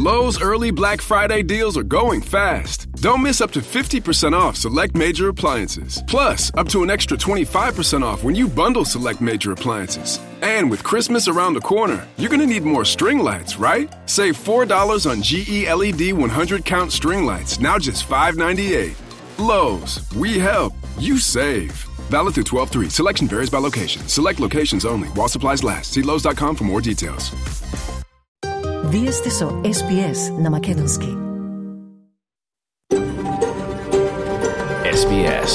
Lowe's early Black Friday deals are going fast. Don't miss up to 50% off select major appliances. Plus, up to an extra 25% off when you bundle select major appliances. And with Christmas around the corner, you're going to need more string lights, right? Save $4 on GE LED 100-count string lights, now just $5.98. Lowe's, we help, you save. Valid through 12/3. Selection varies by location. Select locations only. While supplies last. See Lowe's.com for more details. Вие сте со SBS на Македонски. SBS,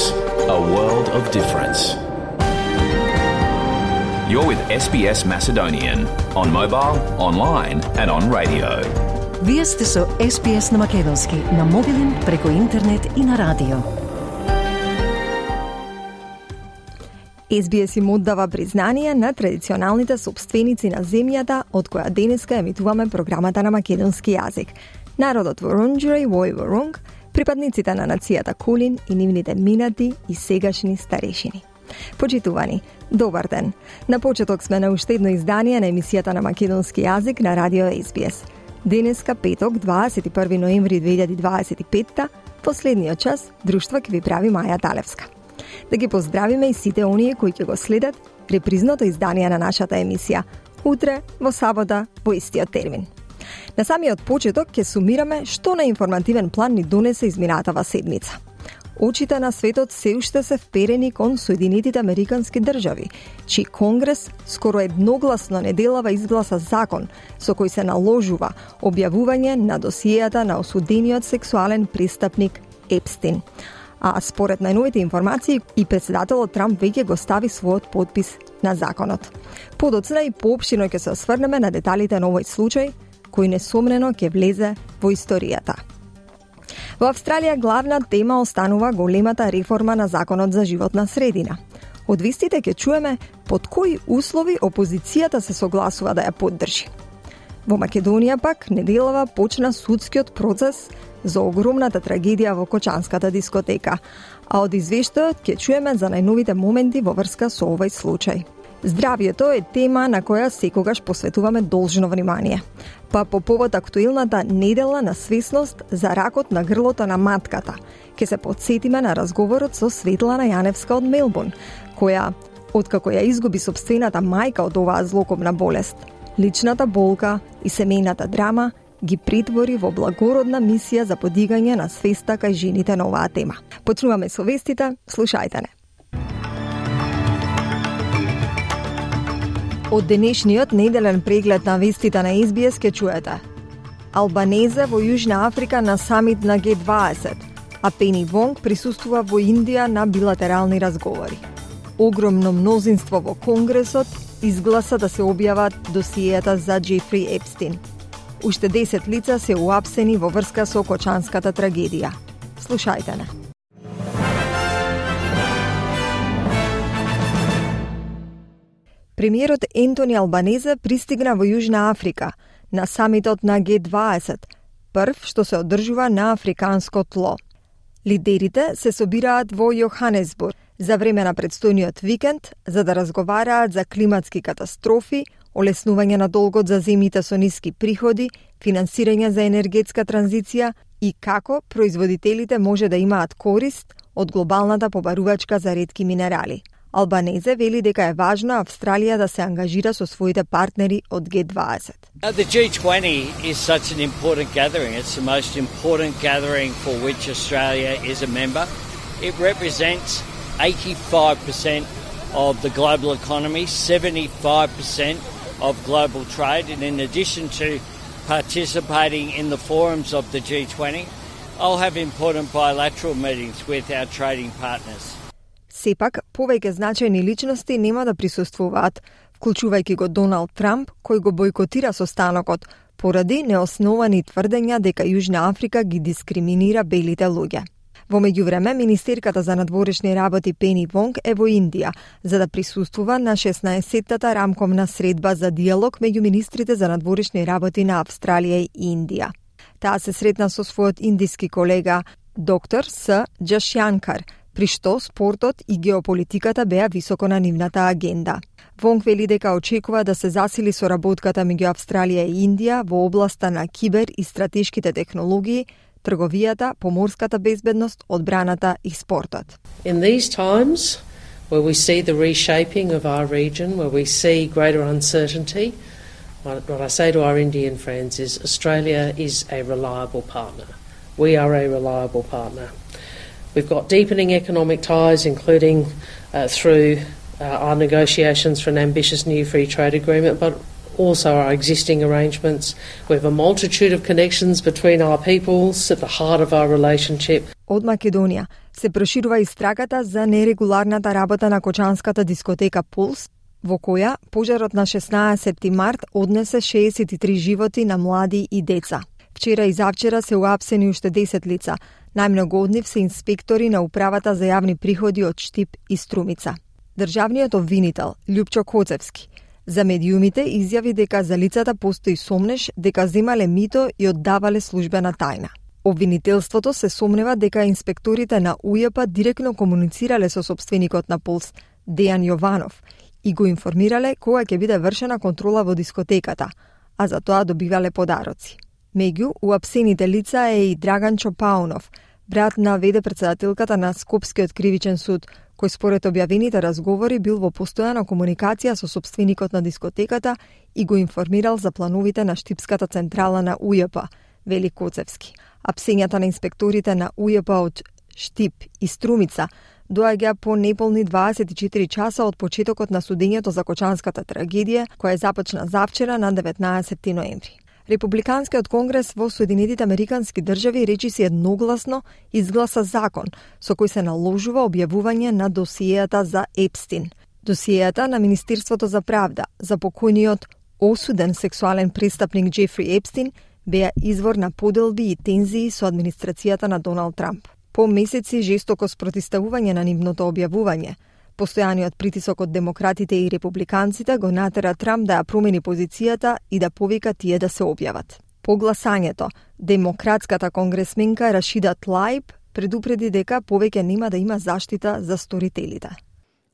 a world of difference. You're with SBS Macedonian on mobile, online and on radio. Вие сте со SBS на Македонски на мобилен, преку интернет и на радио. SBS им оддава признание на традиционалните собственици на земјата од која денеска емитуваме програмата на македонски јазик. Народот Воронџури, Вој Воронг, припадниците на нацијата Кулин и нивните минати и сегашни старешини. Почитувани, добар ден. На почеток сме на уште едно издание на емисијата на македонски јазик на радио SBS. Денеска, петок, 21 ноември 2025, последниот час, друштво ќе ви прави Маја Талевска. Да ги поздравиме и сите оние кои ќе го следат репризното издание на нашата емисија, утре, во сабота, во истиот термин. На самиот почеток ќе сумираме што на информативен план ни донесе изминатава седмица. Очите на светот се уште се вперени кон Соединетите Американски држави, чиј Конгрес скоро едногласно неделава изгласа закон со кој се наложува објавување на досиејата на осудениот сексуален престапник Епстин. А според најновите информации и председателот Трамп веќе го стави својот подпис на законот. Подоцна и поопштино ќе се осврнеме на деталите на овој случај, кој несомнено ќе влезе во историјата. Во Австралија главна тема останува големата реформа на Законот за животна средина. Од вестите ќе чуеме под кои услови опозицијата се согласува да ја поддржи. Во Македонија пак неделава почна судскиот процес за огромната трагедија во Кочанската дискотека, а од извештајот ќе чуеме за најновите моменти во врска со овој случај. Здравјето е тема на која секогаш посветуваме должно внимание. Па по повод актуелната недела на свесност за ракот на грлото на матката, ќе се потсетиме на разговорот со Светлана Јаневска од Мелбурн, која, откако ја изгуби сопствената мајка од оваа злокобна болест, личната болка и семејната драма ги претвори во благородна мисија за подигање на свеста кај жените на оваа тема. Почнуваме со вестите, слушајте не. Од денешниот неделен преглед на вестите на SBS ке чуете: Албанезе во Јужна Африка на самит на G20, а Пени Вонг присуствува во Индија на билатерални разговори. Огромно мнозинство во Конгресот изгласа да се објават досиејата за Джефри Епстин. Уште 10 лица се уапсени во врска со Кочанската трагедија. Слушајте не. Премиерот Ентони Албанезе пристигна во Јужна Африка на самитот на G20, прв што се одржува на африканско тло. Лидерите се собираат во Јоханесбург за време на предстојниот викенд за да разговараат за климатски катастрофи, олеснување на долгот за земјите со ниски приходи, финансирање за енергетска транзиција и како производителите може да имаат корист од глобалната побарувачка за ретки минерали. Албанезе вели дека е важно Австралија да се ангажира со своите партнери од G20. The G20 is such an important gathering. It's the most important gathering for which Australia is a member. It represents 85% of the global economy, 75% of global trade, and in addition to participating in the forums of the G20, I'll have important bilateral meetings with our trading partners. Сепак, повеќе значајни личности нема да присуствуваат, вклучувајќи го Доналд Трамп, кој го бойкотира состанокот поради неосновани тврдења дека Јужна Африка ги дискриминира белите луѓе. Во меѓувреме, министерката за надворешни работи Пени Вонг е во Индија за да присуствува на 16-тата рамковна средба за диалог меѓу министрите за надворешни работи на Австралија и Индија. Таа се сретна со својот индиски колега доктор С. Джашјанкар, при што спортот и геополитиката беа високо на нивната агенда. Вонг вели дека очекува да се засили соработката меѓу Австралија и Индија во областа на кибер и стратешките технологии, трговијата, поморската безбедност, одбраната и спортот. In these times where we see the reshaping of our region, where we see greater uncertainty, what I say to our Indian friends is Australia is a reliable partner. We are a reliable partner. We've got deepening economic ties, including through our negotiations for an ambitious new free trade agreement, but also our existing arrangements. We have a multitude of connections between our peoples at the heart of our relationship. Од Македонија се проширува истрагата за нерегуларната работа на кочанската дискотека Пулс, во која пожарот на 16 март однесе 63 животи на млади и деца. Вчера и завчера се уапсени уште 10 лица. Најмногу од нив се инспектори на Управата за јавни приходи од Штип и Струмица. Државниот обвинител Љупчо Коцевски за медиумите изјави дека за лицата постои сомнеж дека земале мито и оддавале службена тајна. Обвинителството се сомнева дека инспекторите на УЈП директно комуницирале со сопственикот на Пулс, Дејан Јованов, и го информирале кога ќе биде вршена контрола во дискотеката, а за тоа добивале подароци. Меѓу уапсените лица е и Драган Чопаунов, брат на веде-председателката на Скопскиот кривичен суд, кој според објавените разговори бил во постојана комуникација со сопственикот на дискотеката и го информирал за плановите на Штипската централа на УЈП, вели Коцевски. Апсењата на инспекторите на УЈП од Штип и Струмица доаѓа по неполни 24 часа од почетокот на судењето за кочанската трагедија, која започна завчера на 19 ноември. Републиканскиот конгрес во Соединетите Американски држави речиси едногласно изгласа закон со кој се наложува објавување на досиејата за Епстин. Досиејата на Министерството за правда за покојниот осуден сексуален престапник Џефри Епстин беа извор на поделби и тензии со администрацијата на Доналд Трамп. По месеци жестоко спротивставување на нивното објавување, постојаниот притисок од демократите и републиканците го натера Трамп да ја промени позицијата и да повика тие да се објават. По гласањето, демократската конгресменка Рашида Тлаиб предупреди дека повеќе нема да има заштита за сторителите.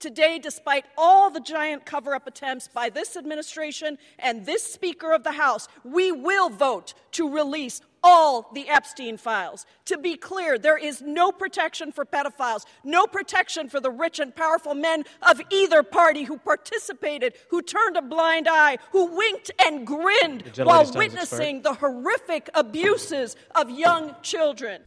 Today, despite all the giant cover-up attempts by this administration and this Speaker of the House, we will vote to release all the Epstein files. To be clear, there is no protection for pedophiles, no protection for the rich and powerful men of either party who participated, who turned a blind eye, who winked and grinned while witnessing the horrific abuses of young children.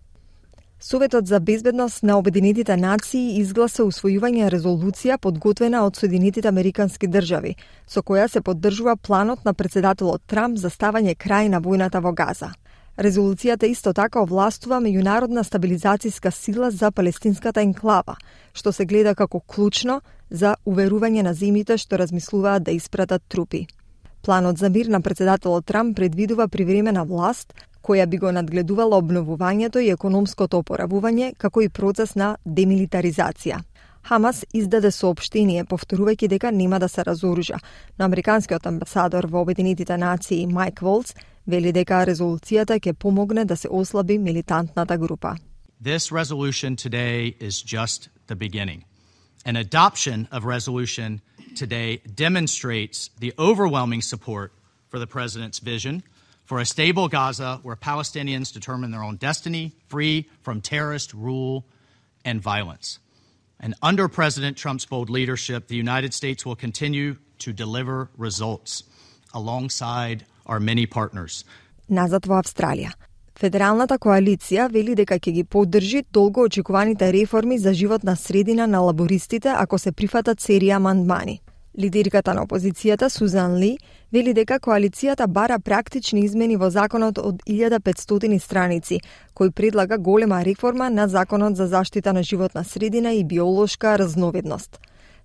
Советот за безбедност на Обединетите нации изгласа усвојување резолуција подготвена од Соединетите Американски држави, со која се поддржува планот на председателот Трамп за ставање крај на војната во Газа. Резолуцијата исто така овластува меѓународна стабилизацијска сила за палестинската енклава, што се гледа како клучно за уверување на земјите што размислуваат да испратат трупи. Планот за мир на председателот Трамп предвидува привремена власт, која би го надгледувала обновувањето и економското опоравување, како и процес на демилитаризација. Хамас издаде соопштение повторувајќи дека нема да се разоружа, но американскиот амбасадор во Обединетите нации Майк Волц вели дека резолуцијата ќе помогне да се ослаби милитантната група. This resolution today is just the beginning. An adoption of resolution today demonstrates the overwhelming support for the president's vision for a stable Gaza where Palestinians determine their own destiny, free from terrorist rule and violence. And under President Trump's bold leadership, the United States will continue to deliver results alongside our many partners. Назад во Австралија. Федералната коалиција вели дека ќе ги поддржи долго очекуваните реформи за животна средина на лабористите ако се прифатат серија амандмани. Лидерката на опозицијата Сузан Ли вели дека коалицијата бара практични измени во законот од 1500 страници, кој предлага голема реформа на законот за заштита на животна средина и биолошка разновидност.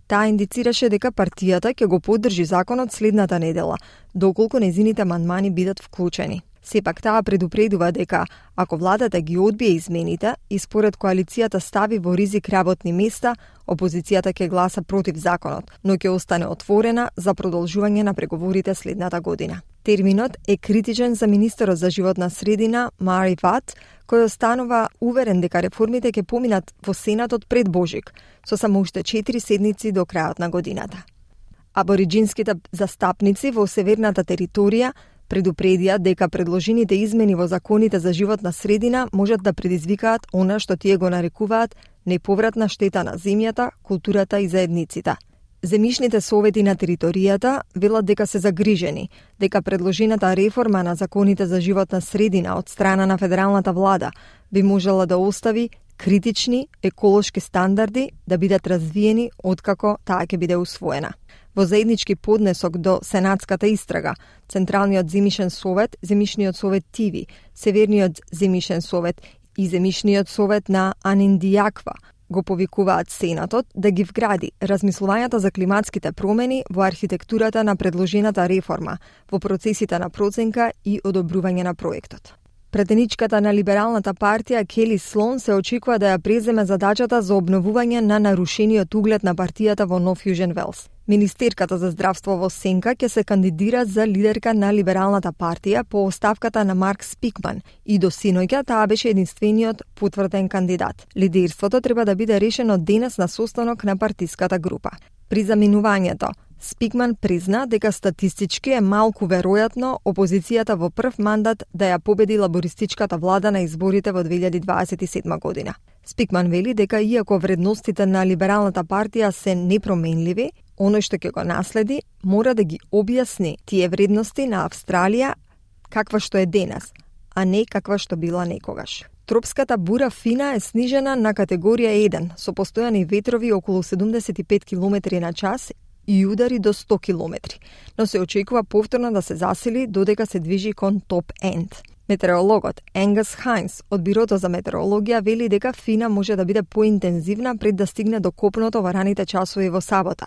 Таа индицираше дека партијата ќе го поддржи законот следната недела, доколку нејзините амандмани бидат вклучени. Сепак таа предупредува дека ако владата ги одбие измените и според коалицијата стави во ризик работни места, опозицијата ќе гласа против законот, но ќе остане отворена за продолжување на преговорите следната година. Терминот е критичен за министерот за животна средина Мари Ват, кој останува уверен дека реформите ќе поминат во Сенатот пред Божик, со само уште 4 седмици до крајот на годината. Абориджинските застапници во северната територија предупредија дека предложените измени во законите за животна средина можат да предизвикаат она што тие го нарекуваат неповратна штета на земјата, културата и заедниците. Земјишните совети на територијата велат дека се загрижени, дека предложената реформа на законите за животна средина од страна на федералната влада би можела да остави критични еколошки стандарди да бидат развиени откако таа ќе биде усвоена. Во заеднички поднесок до Сенатската истрага, Централниот земјишен совет, Земјишниот совет ТИВИ, Северниот земјишен совет и Земјишниот совет на Аниндијаква го повикуваат Сенатот да ги вгради размислувањата за климатските промени во архитектурата на предложената реформа, во процесите на проценка и одобрување на проектот. Претеничката на Либералната партија Кели Слон се очекува да ја преземе задачата за обновување на нарушениот углед на партијата во Нов Јужен Велс. Министерката за здравство во Сенка ќе се кандидира за лидерка на Либералната партија по оставката на Марк Спикман и до синоќа таа беше единствениот потврден кандидат. Лидерството треба да биде решено денес на состанок на партиската група. При заминувањето, Спикман призна дека статистички е малку веројатно опозицијата во прв мандат да ја победи лабористичката влада на изборите во 2027 година. Спикман вели дека иако вредностите на Либералната партија се непроменливи, оној што ќе го наследи мора да ги објасни тие вредности на Австралија каква што е денес, а не каква што била некогаш. Тропската бура Фина е снижена на категорија 1 со постојани ветрови околу 75 км на час и удари до 100 км, но се очекува повторно да се засили додека се движи кон топ енд. Метеорологот Енгас Хайнс од Бирото за метеорологија вели дека Фина може да биде поинтензивна пред да стигне до копното во раните часови во сабота,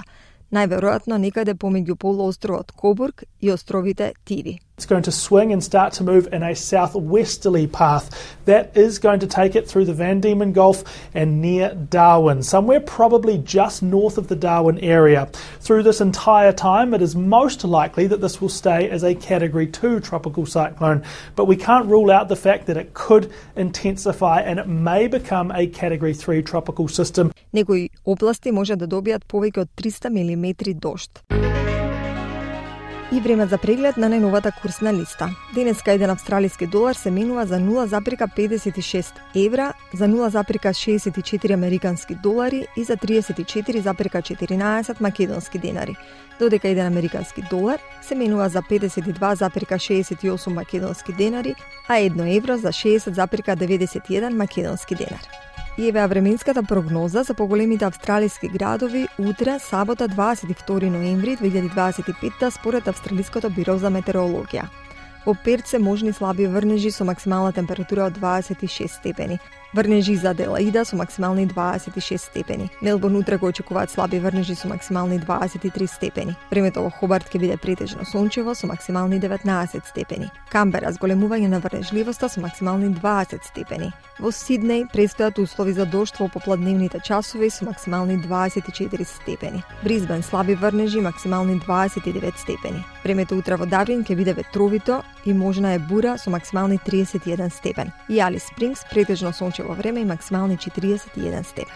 најверојатно некаде помеѓу полуостровот Кобург и островите Тиви. It's going to swing and start to move in a southwesterly path. That is going to take it through the Van Diemen Gulf and near Darwin, somewhere probably just north of the Darwin area. Through this entire time, it is most likely that this will stay as a Category 2 tropical cyclone, but we can't rule out the fact that it could intensify and it may become a Category 3 tropical system. Некои области може да добијат повеќе од 300 милиметри дожд. И време за преглед на најновата курсна листа. Денеска еден австралиски долар се менува за 0,56 евра, за 0,64 американски долари и за 34,14 македонски денари, додека еден американски долар се менува за 52,68 македонски денари, а 1 евро за 60,91 македонски денари. И еве временската прогноза за поголемите австралиски градови утре, сабота 22 ноември 2025 според Австралиското биро за метеорологија. Во Перт се можни слаби врнежи со максимална температура од 26 степени. Врнежи за Аделаида со максимални 26 степени. Мелбурн утре го очекуваат слаби врнежи со максимални 23 степени. Времето во Хобарт ќе биде претежно сончево со максимални 19 степени. Камбера зголемување на врнежливоста со максимални 20 степени. Во Сиднеј престојат услови за дожд во попладневните часови со максимални 24 степени. Брисбен слаби врнежи максимални 29 степени. Времето утре во Дарвин ќе биде ветровито и можна е бура со максимални 31 степен. И Алис Спрингс претежно сончево време и максимални 41 степен.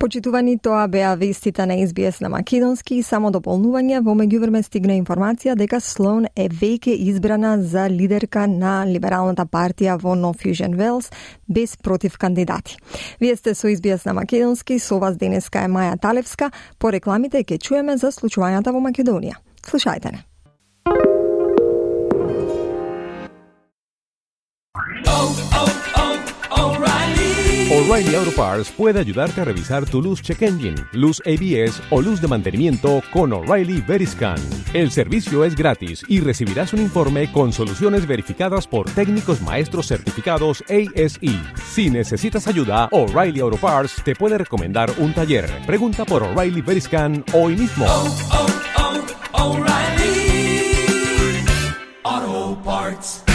Почитувани, тоа беа вестите на SBS на македонски и само дополнување. Во меѓувреме стигна информација дека Слоун е веќе избрана за лидерка на Либералната партија во Нов Јужен Велс без против кандидати. Вие сте со SBS на македонски, со вас денеска е Маја Талевска. По рекламите ќе чуеме за случувањата во Македонија. Слушајте не. O'Reilly Auto Parts puede ayudarte a revisar tu luz check engine, luz ABS o luz de mantenimiento con O'Reilly Veriscan. El servicio es gratis y recibirás un informe con soluciones verificadas por técnicos maestros certificados ASE. Si necesitas ayuda, O'Reilly Auto Parts te puede recomendar un taller. Pregunta por O'Reilly Veriscan hoy mismo. O'Reilly Auto Parts.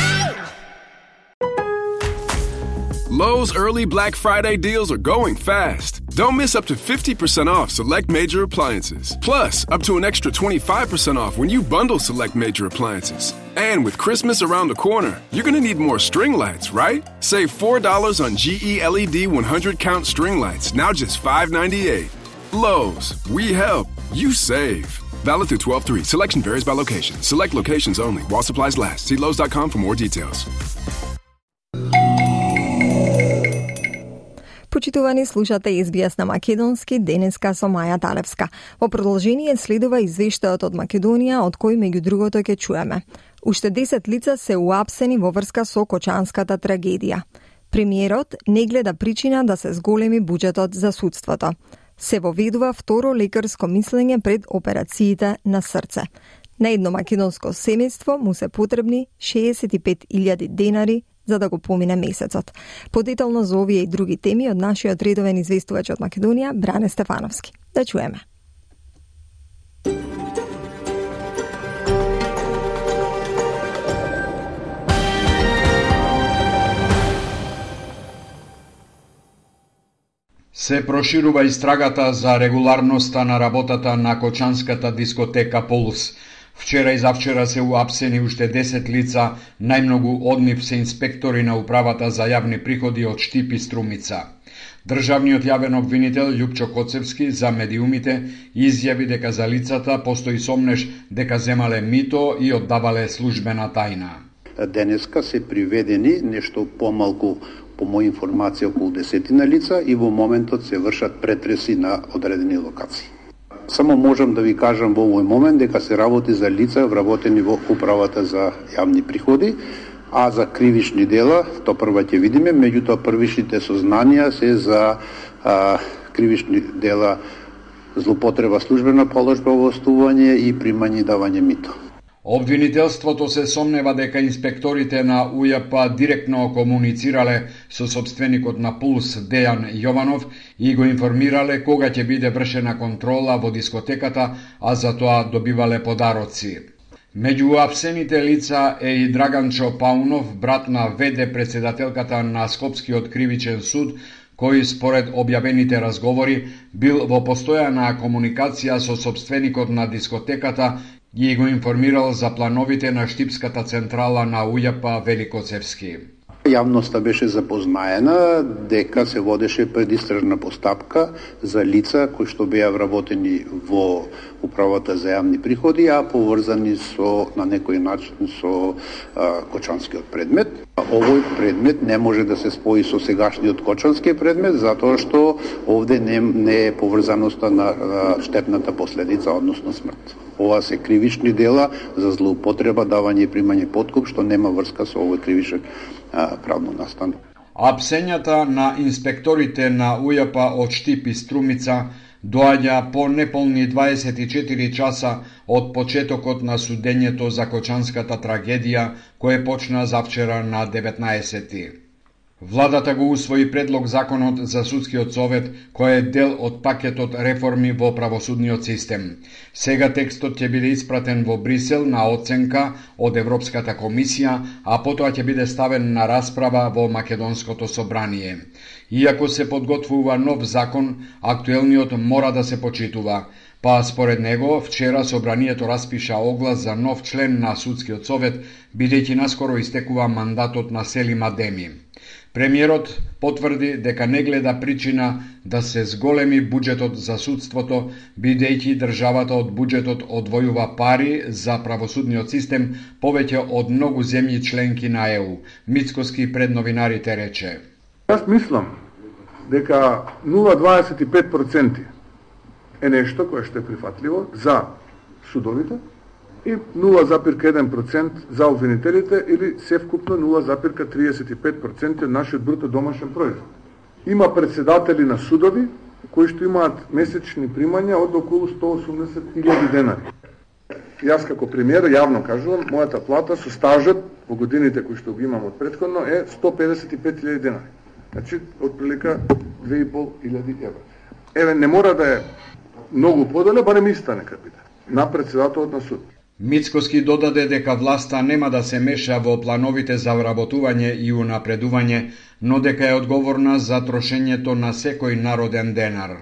Lowe's early Black Friday deals are going fast. Don't miss up to 50% off select major appliances. Plus, up to an extra 25% off when you bundle select major appliances. And with Christmas around the corner, you're going to need more string lights, right? Save $4 on GE LED 100-count string lights, now just $5.98. Lowe's, we help, you save. Valid through 12/3. Selection varies by location. Select locations only. While supplies last. See Lowe's.com for more details. Почитувани, слушате SBS на македонски, денеска со Маја Талевска. Во продолжение следува извештајот од Македонија, од кој меѓу другото ќе чуеме. Уште 10 лица се уапсени во врска со Кочанската трагедија. Премиерот не гледа причина да се зголеми буџетот за судството. Се воведува второ лекарско мислење пред операциите на срце. На едно македонско семејство му се потребни 65.000 денари за да го помине месецот. Подетално за овие и други теми од нашиот редовен известувач од Македонија, Бране Стефановски. Да чуеме. Се проширува истрагата за регуларноста на работата на Кочанската дискотека Пулс. Вчера и завчера се уапсени уште 10 лица, најмногу од нив се инспектори на управата за јавни приходи од Штип и Струмица. Државниот јавен обвинител Љупчо Коцевски за медиумите изјави дека за лицата постои сомнеш дека земале мито и оддавале службена тајна. Денеска се приведени нешто помалку, по моја информација, околу 10 лица и во моментот се вршат претреси на одредени локации. Само можам да ви кажам во овој момент дека се работи за лица вработени во управата за јавни приходи, а за кривични дела, то прва ќе видиме, меѓутоа првичните сознанија се за кривични дела злоупотреба службена положба, овластување и примање и давање мито. Обвинителството се сомнева дека инспекторите на УЈП директно комуницирале со собственикот на Пулс Дејан Јованов и го информирале кога ќе биде вршена контрола во дискотеката, а за тоа добивале подароци. Меѓу уапсените лица е и Драганчо Паунов, брат на ВД председателката на Скопскиот кривичен суд, кој според објавените разговори бил во постојана комуникација со собственикот на дискотеката и го информирал за плановите на Штипската централа на УЈП Великоцевски. Јавноста беше запознаена дека се водеше предистражна постапка за лица кои што беа вработени во управата за јавни приходи, а поврзани со на некој начин со Кочанскиот предмет. Овој предмет не може да се спои со сегашниот Кочански предмет, затоа што овде не е поврзаноста на штетната последица, односно смрт. Ова се кривични дела за злоупотреба, давање и примање подкуп, што нема врска со овој кривичен правно настан. Апсењата на инспекторите на УЈП од Штип и Струмица доаѓа по неполни 24 часа од почетокот на судењето за Кочанската трагедија, кое почна завчера на 19. Владата го усвои предлог законот за судскиот совет, кој е дел од пакетот реформи во правосудниот систем. Сега текстот ќе биде испратен во Брисел на оценка од Европската комисија, а потоа ќе биде ставен на расправа во Македонското собрание. Иако се подготвува нов закон, актуелниот мора да се почитува. Па според него, вчера собранието распиша оглас за нов член на судскиот совет, бидејќи наскоро истекува мандатот на Селим Адеми. Премиерот потврди дека не гледа причина да се зголеми буџетот за судството, бидејќи државата од буџетот одвојува пари за правосудниот систем повеќе од многу земји членки на ЕУ. Мицкоски пред новинарите рече: Јас мислам дека 0,25% е нешто кое што е прифатливо за судовите и 0,1% за обвинителите или севкупно 0,35% од нашиот бруто домашен производ. Има председатели на судови кои што имаат месечни примања од околу 180.000 денари. Јас како премиер јавно кажувам, мојата плата со стажот во годините кои што го имам од претходно е 155.000 денари. Значи, отприлика 2.500 евро. Еве, не мора да е многу подоле, барем иста нека биде, на председателот на суд. Мицкоски додаде дека власта нема да се меша во плановите за вработување и унапредување, но дека е одговорна за трошењето на секој народен денар.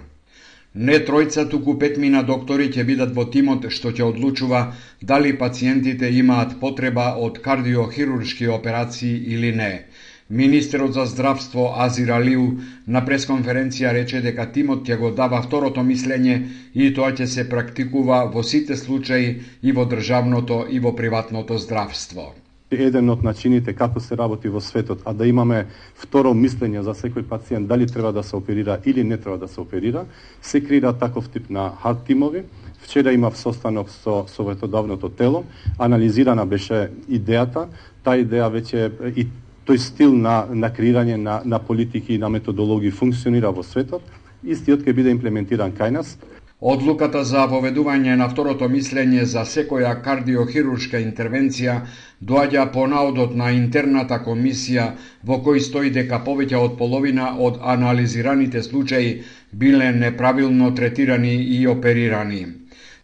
Не тројца, туку 5 доктори ќе бидат во тимот што ќе одлучува дали пациентите имаат потреба од кардиохируршки операции или не. Министерот за здравство Азир Алиу на пресконференција рече дека тимот ќе го дава второто мислење и тоа ќе се практикува во сите случаи и во државното и во приватното здравство. Еден од начините како се работи во светот, а да имаме второ мислење за секој пациент дали треба да се оперира или не треба да се оперира, се креира таков тип на хард тимови. Вчера имав состанок со советодавното тело, анализирана беше идејата, таа идеја веќе и тој стил на креирање на политики и на методологии функционира во светот, истиот ќе биде имплементиран кај нас. Одлуката за воведување на второто мислење за секоја кардиохируршка интервенција доаѓа по наодот на интерната комисија во кој стои дека повеќе од половина од анализираните случаи биле неправилно третирани и оперирани.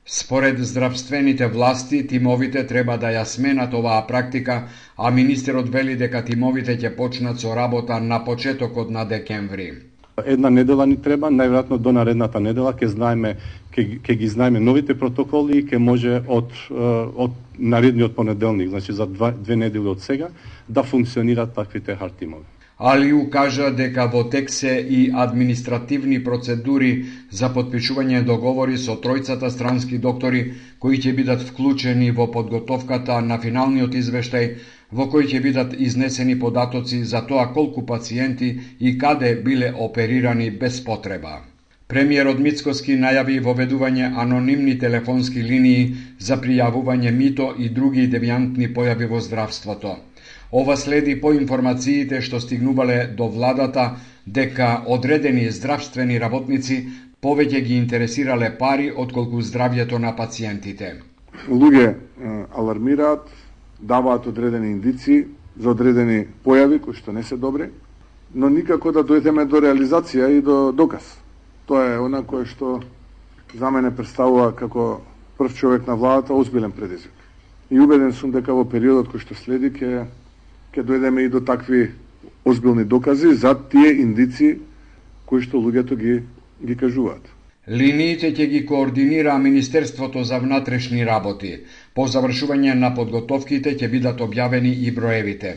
Според здравствените власти, тимовите треба да ја сменат оваа практика, а министерот вели дека тимовите ќе почнат со работа на почетокот на декември. Една недела ни треба, најверојатно до наредната недела ќе ги знаеме новите протоколи и ќе може од наредниот понеделник, значи за 2 недели од сега, да функционираат таквите хард тимови. Алиу кажа дека во тек се и административни процедури за потпишување договори со тројцата странски доктори кои ќе бидат вклучени во подготовката на финалниот извештај во кој ќе бидат изнесени податоци за тоа колку пациенти и каде биле оперирани без потреба. Премиерот Мицкоски најави воведување анонимни телефонски линии за пријавување мито и други девијантни појави во здравството. Ова следи по информациите што стигнувале до владата дека одредени здравствени работници повеќе ги интересирале пари отколку здравјето на пациентите. Луѓе алармираат, даваат одредени индици за одредени појави кои што не се добри, но никако да дојдеме до реализација и до доказ. Тоа е она кое што за мене представува како прв човек на владата озбилен предизвик. И убеден сум дека во периодот кој што следи ќе дојдеме и до такви озбилни докази за тие индици кои што луѓето ги кажуваат. Линиите ќе ги координира Министерството за внатрешни работи. По завршување на подготовките ќе бидат објавени и броевите.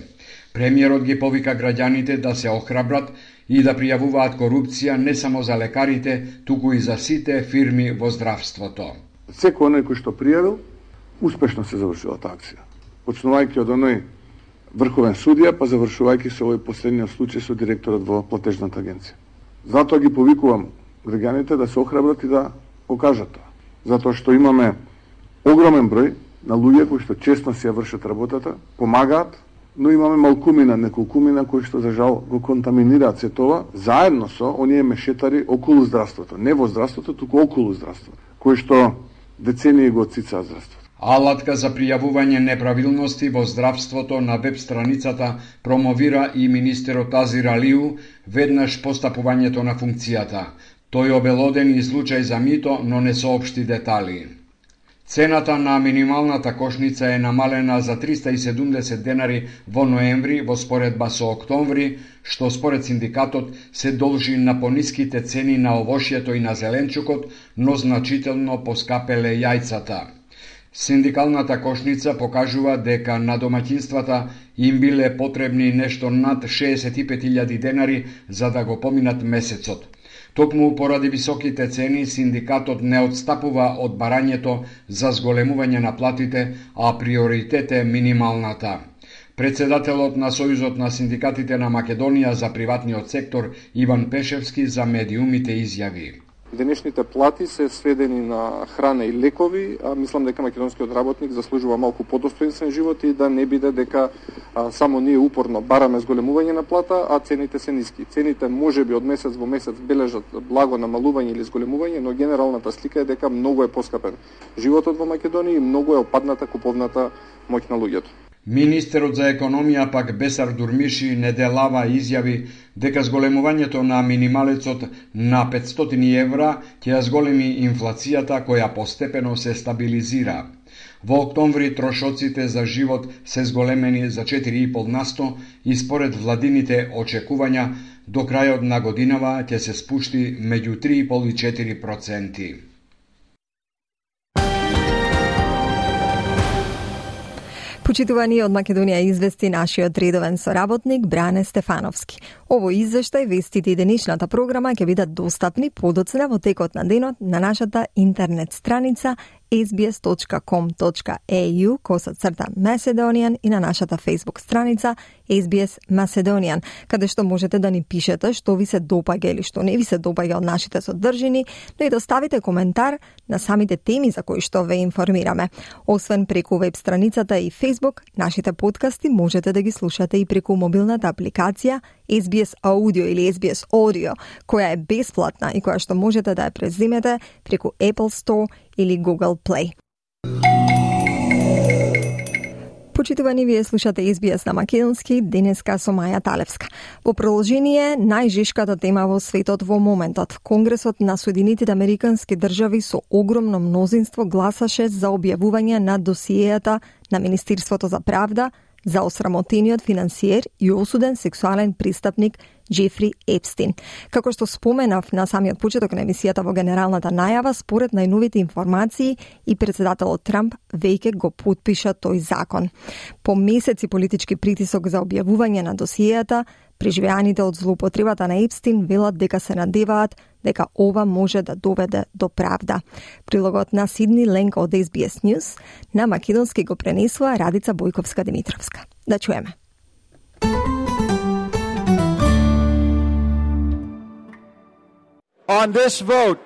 Премиерот ги повика граѓаните да се охрабрат и да пријавуваат корупција не само за лекарите, туку и за сите фирми во здравството. Секој оној кој што пријавил, успешно се завршила таа акција. Почнувајќи од оној врховен судија, па завршувајќи со овој последниот случај со директорот во платежната агенција. Затоа ги повикувам граѓаните да се охрабрат и да го кажат тоа. Затоа што имаме огромен број на луѓе кои што честно си ја вршат работата, помагаат, но имаме малкумина, неколкумина кои што за жал го контаминираат се тоа, заедно со оние мешетари околу здравството, не во здравството, туку околу здравството, кои што децении го отсицаат здравството. Алатка за пријавување неправилности во здравството на веб страницата промовира и министерот Азир Алиу веднаш постапувањето на функцијата. Тој обелодени случај за мито, но не соопшти детали. Цената на минималната кошница е намалена за 370 денари во ноември во споредба со октомври, што според синдикатот се должи на пониските цени на овошјето и на зеленчукот, но значително поскапеле јајцата. Синдикалната кошница покажува дека на домаќинствата им биле потребни нешто над 65.000 денари за да го поминат месецот. Токму поради високите цени, синдикатот не отстапува од барањето за зголемување на платите, а приоритет е минималната. Председателот на Сојузот на синдикатите на Македонија за приватниот сектор Иван Пешевски за медиумите изјави: Денешните плати се сведени на храна и лекови, а мислам дека македонскиот работник заслужува малку подостоинствен живот и да не биде дека само ние упорно бараме зголемување на плата, а цените се ниски. Цените можеби од месец во месец бележат благо намалување или зголемување, но генералната слика е дека многу е поскапен животот во Македонија и многу е опадната куповната моќ на луѓето. Министерот за економија пак Бесар Дурмиши неделава изјави дека зголемувањето на минималецот на 500 евра ќе ја зголеми инфлацијата која постепено се стабилизира. Во октомври трошоците за живот се зголемени за 4,5% и според владините очекувања до крајот на годинава ќе се спушти меѓу 3,5 и 4%. Почитувани од Македонија извести нашиот редовен соработник Бране Стефановски. Овој извештај, вестите и денешната програма ќе бидат достапни подоцна во текот на денот на нашата интернет страница sbs.com.au/Macedonian и на нашата Facebook страница SBS Macedonian, каде што можете да ни пишете што ви се допаѓа или што не ви се допаѓа од нашите содржини, но и да оставите коментар на самите теми за кои што ве информираме. Освен преку веб страницата и Facebook, нашите подкасти можете да ги слушате и преку мобилната апликација SBS Audio или SBS Audio, која е бесплатна и која што можете да ја преземете преку Apple Store или Google Play. Почитувани, вие слушате SBS на македонски, денеска со Маја Талевска. Во продолжение, најжешката тема во светот во моментот. Конгресот на Соединетите Американски држави со огромно мнозинство гласаше за објавување на досиејата на Министерството за правда за осрамотениот финансиер и осуден сексуален престапник Джефри Епстин. Како што споменав на самиот почеток на емисијата во генералната најава, според најновите информации и председателот Трамп веќе го потпиша тој закон. По месеци политички притисок за објавување на досиејата, преживеаните од злоупотребата на Епстин велат дека се надеваат дека ова може да доведе до правда. Прилогот на Сидни Ленк од SBS News на македонски го пренесува Радица Бојковска-Димитровска. Да чуеме. On this vote,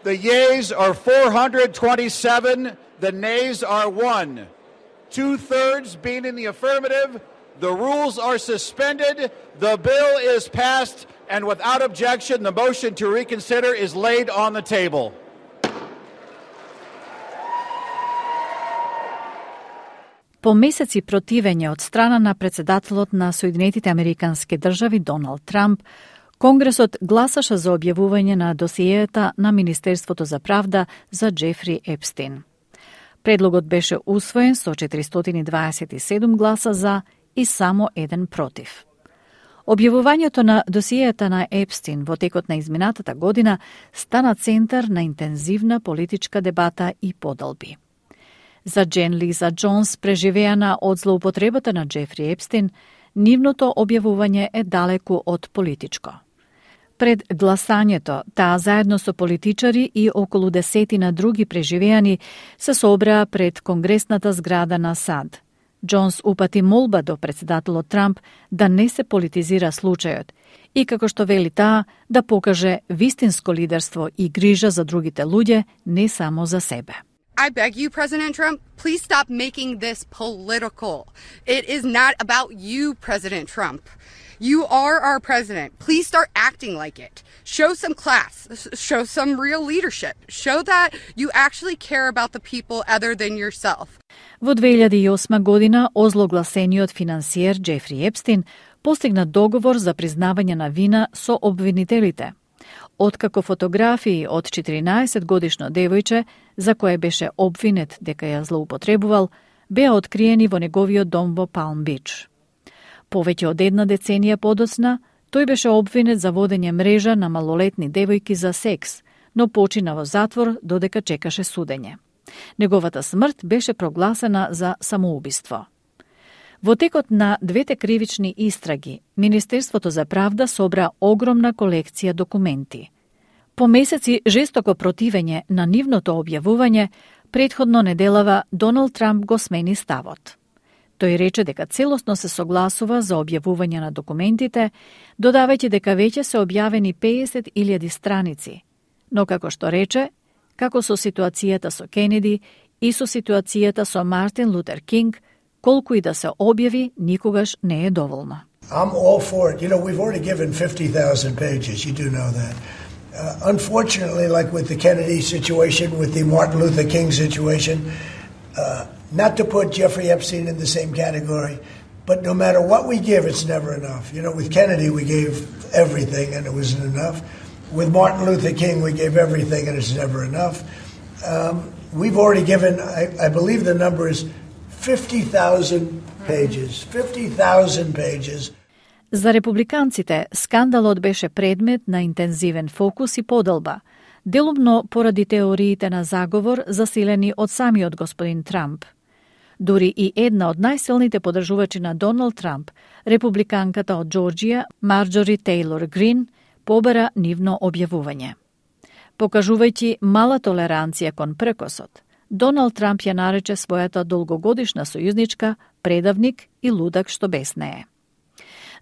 the yeas are 427, the nays are 1. 2/3 being in the affirmative, the rules are suspended, the bill is passed, and without objection, the motion to reconsider is laid on the table. По месеци противење од страна на председателот на Соединетите Американски држави Доналд Трамп, Конгресот гласаше за објавување на досиејата на Министерството за правда за Джефри Епстин. Предлогот беше усвоен со 427 гласа за и само 1 против. Објавувањето на досиејата на Епстин во текот на изминатата година стана центар на интензивна политичка дебата и подолби. За Джен Лиза Джонс, преживеана од злоупотребата на Джефри Епстин, нивното објавување е далеку од политичко. Пред гласањето, таа заедно со политичари и околу десетина други преживеани се собраа пред Конгресната зграда на САД. Джонс упати молба до председателот Трамп да не се политизира случајот и, како што вели таа, да покаже вистинско лидерство и грижа за другите луѓе, не само за себе. I beg you, President Trump, please stop making this political. It is not about you, President Trump. You are our president. Please start acting like it. Show some class. Show some real leadership. Show that you actually care about the people other than yourself. Во 2008 година озлогласениот финансиер Джефри Епстин постигна договор за признавање на вина со обвинителите. Откако фотографии од 14-годишно девојче, за кое беше обвинет дека ја злоупотребувал, беа откриени во неговиот дом во Палм Бич. Повеќе од една деценија подоцна, тој беше обвинет за водење мрежа на малолетни девојки за секс, но почина во затвор додека чекаше судење. Неговата смрт беше прогласена за самоубиство. Во текот на двете кривични истраги, Министерството за правда собра огромна колекција документи. По месеци жестоко противење на нивното објавување, претходно неделава Доналд Трамп го смени ставот. Тој рече дека целосно се согласува за објавување на документите, додавајќи дека веќе се објавени 50.000 страници. Но како што рече, како со ситуацијата со Кенеди и со ситуацијата со Мартин Лутер Кинг, колку и да се објави, никогаш не е доволно. I'm all for it. You know, we've already given 50,000 pages. You do know that. Unfortunately, like with the Kennedy situation, with the Martin Luther King situation, not to put Jeffrey Epstein in the same category, but no matter what we give, it's never enough. You know, with Kennedy, we gave everything and it wasn't enough. With Martin Luther King, we gave everything and it's never enough. We've already given, I believe the number is 50,000 pages. 50,000 pages. За републиканците, скандалот беше предмет на интензивен фокус и поделба, делумно поради теориите на заговор засилени од самиот господин Трамп. Дури и една од најсилните подржувачи на Доналд Трамп, републиканката од Џорџија, Марџори Тейлор Грин, побара нивно објавување. Покажувајќи мала толеранција кон прекосот, Доналд Трамп ја нарече својата долгогодишна сојузничка предавник и лудак што без нее.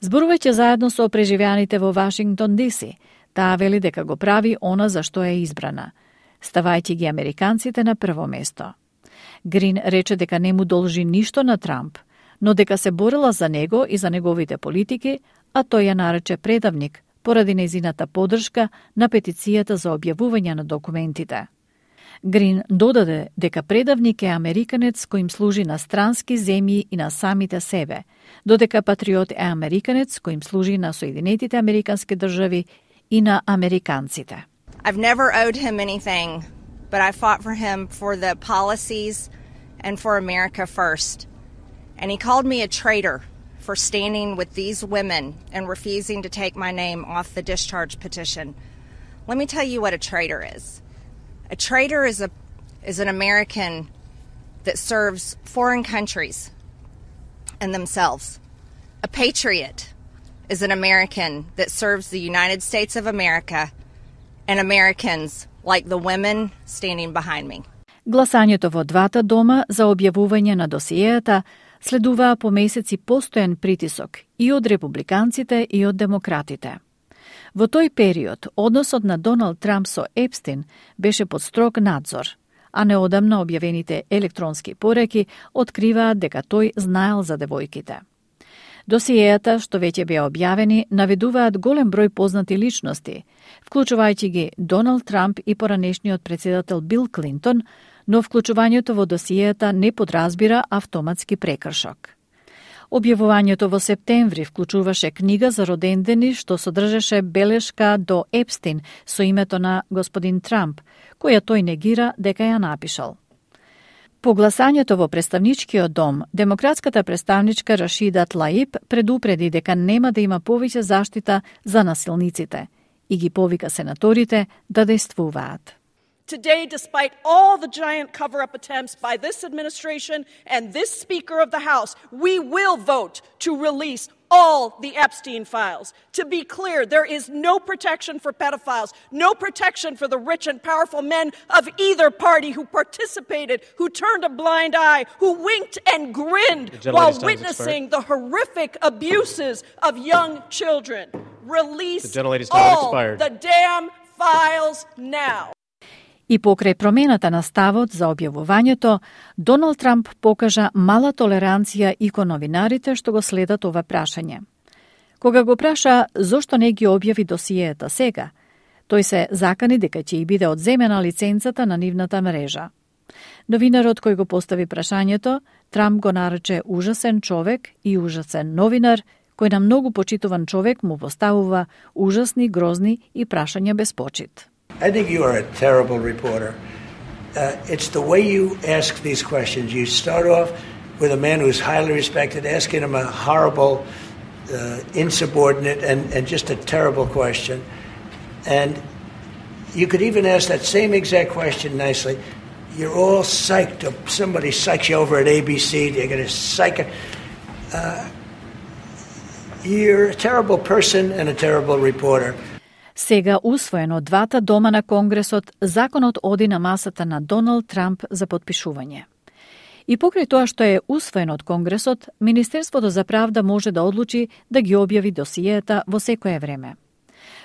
Зборувајќи заедно со преживеаните во Вашингтон ДС, таа вели дека го прави она за што е избрана, ставајќи ги американците на прво место. Грин рече дека не му должи ништо на Трамп, но дека се борила за него и за неговите политики, а тој ја нарече предавник поради нејзината поддршка на петицијата за објавување на документите. Грин додаде дека предавник е американец кој им служи на странски земји и на самите себе, додека патриот е американец кој им служи на Соединетите Американски држави и на американците. I've never owed him anything, but I fought for him for the policies and for America first. And he called me a traitor for standing with these women and refusing to take my name off the discharge petition. Let me tell you what a traitor is. A traitor is an American that serves foreign countries and themselves. A patriot is an American that serves the United States of America and Americans like the women standing behind me. Гласањето во двата дома за објавување на досиејата следуваа по месеци постојан притисок и од републиканците и од демократите. Во тој период, односот на Доналд Трамп со Епстин беше под строг надзор, а неодамна објавените електронски пореки откриваат дека тој знаел за девојките. Досиејата, што веќе беа објавени, наведуваат голем број познати личности, вклучувајќи ги Доналд Трамп и поранешниот председател Бил Клинтон, но вклучувањето во досиејата не подразбира автоматски прекршок. Објавувањето во септември вклучуваше книга за родендени што содржеше белешка до Епстин со името на господин Трамп, која тој негира дека ја напишал. По гласањето во представничкиот дом, демократската представничка Рашида Тлаиб предупреди дека нема да има повеќе заштита за насилниците и ги повика сенаторите да действуваат. Today, despite all the giant cover-up attempts by this administration and this Speaker of the House, we will vote to release all the Epstein files. To be clear, there is no protection for pedophiles, no protection for the rich and powerful men of either party who participated, who turned a blind eye, who winked and grinned while witnessing the horrific abuses of young children. Release all the damn files now. И покрај промената на ставот за објавувањето, Доналд Трамп покажа мала толеранција и кон новинарите што го следат ова прашање. Кога го праша зошто не ги објави досиејата сега, тој се закани дека ќе и биде одземена лиценцата на нивната мрежа. Новинарот кој го постави прашањето, Трамп го нарече ужасен човек и ужасен новинар, кој на многу почитуван човек му поставува ужасни, грозни и прашања без почит. I think you are a terrible reporter. It's the way you ask these questions. You start off with a man who's highly respected, asking him a horrible, insubordinate, and just a terrible question. And you could even ask that same exact question nicely. You're all psyched up. Somebody psychs you over at ABC. They're going to psych it. You're a terrible person and a terrible reporter. Сега усвоен од двата дома на Конгресот, законот оди на масата на Доналд Трамп за подпишување. И покрај тоа што е усвоен од Конгресот, Министерството за правда може да одлучи да ги објави досиејата во секое време.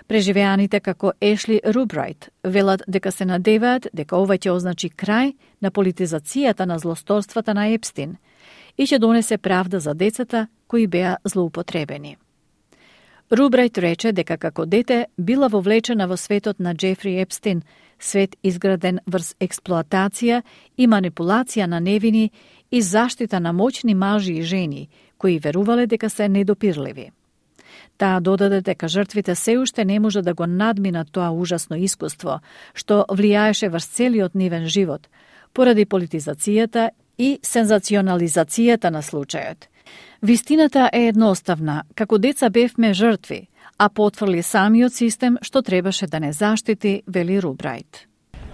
Преживеаните како Ешли Рубрайт велат дека се надеваат дека ова ќе означи крај на политизацијата на злосторствата на Епстин и ќе донесе правда за децата кои беа злоупотребени. Рубрайт рече дека како дете била вовлечена во светот на Џефри Епстин, свет изграден врз експлоатација и манипулација на невини и заштита на моćни мажи и жени, кои верувале дека се недопирливи. Таа додаде дека жртвите се уште не може да го надминат тоа ужасно искуство, што влијаеше врз целиот нивен живот, поради политизацијата и сензационализацијата на случајот. Вистината е едноставна, како деца бевме жртви, а потврли самиот систем што требаше да не заштити, вели Рубрайт.